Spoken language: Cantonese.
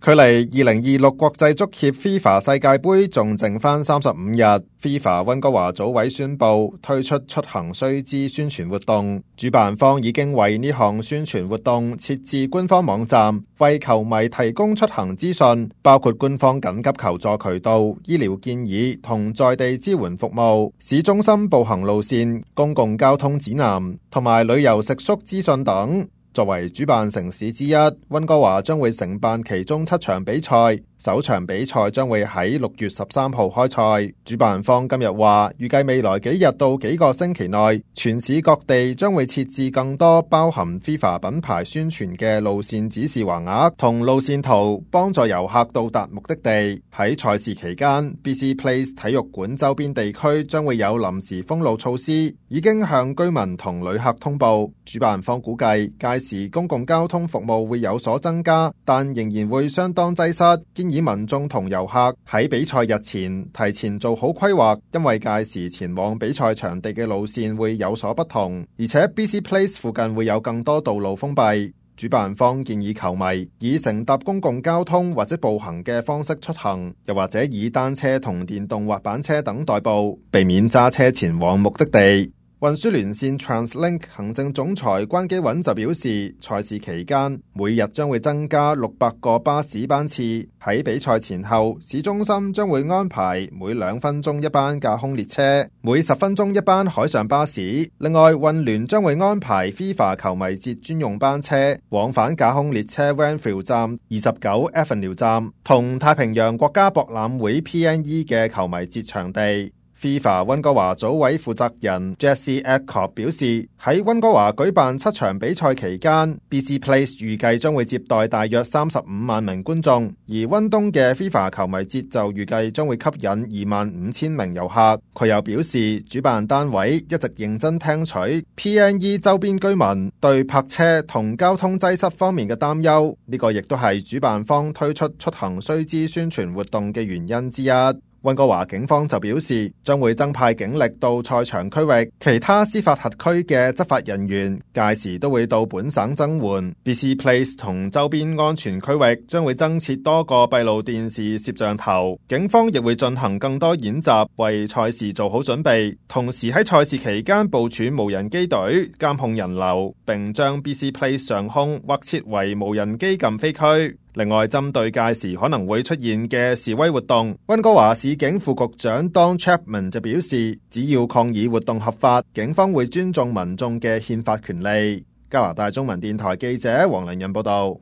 距離2026國際足協 FIFA 世界盃仲剩返35日 ，FIFA 溫哥華組委宣布推出出行須知宣傳活動，主辦方已經為呢項宣傳活動設置官方網站，為球迷提供出行資訊，包括官方緊急求助渠道、醫療建議同在地支援服務、市中心步行路線、公共交通指南同埋旅遊食宿資訊等。作為主辦城市之一，溫哥華將會承辦其中7場比賽。首場比賽將會喺6月13號開賽。主辦方今日話，預計未來幾日到幾個星期內，全市各地將會設置更多包含 FIFA 品牌宣傳嘅路線指示橫額同路線圖，幫助遊客到達目的地。喺賽事期間 ，BC Place 體育館周邊地區將會有臨時封路措施，已經向居民同旅客通報。主辦方估計屆時公共交通服務會有所增加，但仍然會相當擠塞。以民眾同遊客喺比賽日前提前做好規劃，因為屆時前往比賽場地嘅路線會有所不同，而且 BC Place 附近會有更多道路封閉。主辦方建議球迷以乘搭公共交通或者步行嘅方式出行，又或者以單車同電動滑板車等代步，避免揸車前往目的地。運輸連線 TransLink 行政總裁關基穩就表示，賽事期間每日將會增加600個巴士班次，喺比賽前後，市中心將會安排每2分鐘一班架空列車，每10分鐘一班海上巴士。另外，運聯將會安排 FIFA 球迷節專用班車往返架空列車 Wentworth 站、29 Avenue 站同太平洋國家博覽會 PNE 嘅球迷節場地。FIFA 溫哥華組委負責人 Jesse Adcock 表示，喺溫哥華舉辦7場比賽期間 ，BC Place 預計將會接待大約35萬名觀眾，而溫東嘅 FIFA 球迷節就預計將會吸引25000名遊客。佢又表示，主辦單位一直認真聽取 PNE 周邊居民對泊車同交通擠塞方面嘅擔憂，呢個亦都係主辦方推出出行須知宣傳活動嘅原因之一。溫哥華警方就表示，將會增派警力到賽場區域，其他司法轄區嘅執法人員屆時都會到本省增援。BC Place 同周邊安全區域將會增設多個閉路電視攝像頭，警方亦會進行更多演習，為賽事做好準備。同時喺賽事期間部署無人機隊監控人流，並將 BC Place 上空劃設為無人機禁飛區。另外，針對屆時可能會出現嘅示威活動，溫哥華市警副局長 Don Chapman 就表示，只要抗議活動合法，警方會尊重民眾嘅憲法權利。加拿大中文電台記者黃良仁報道。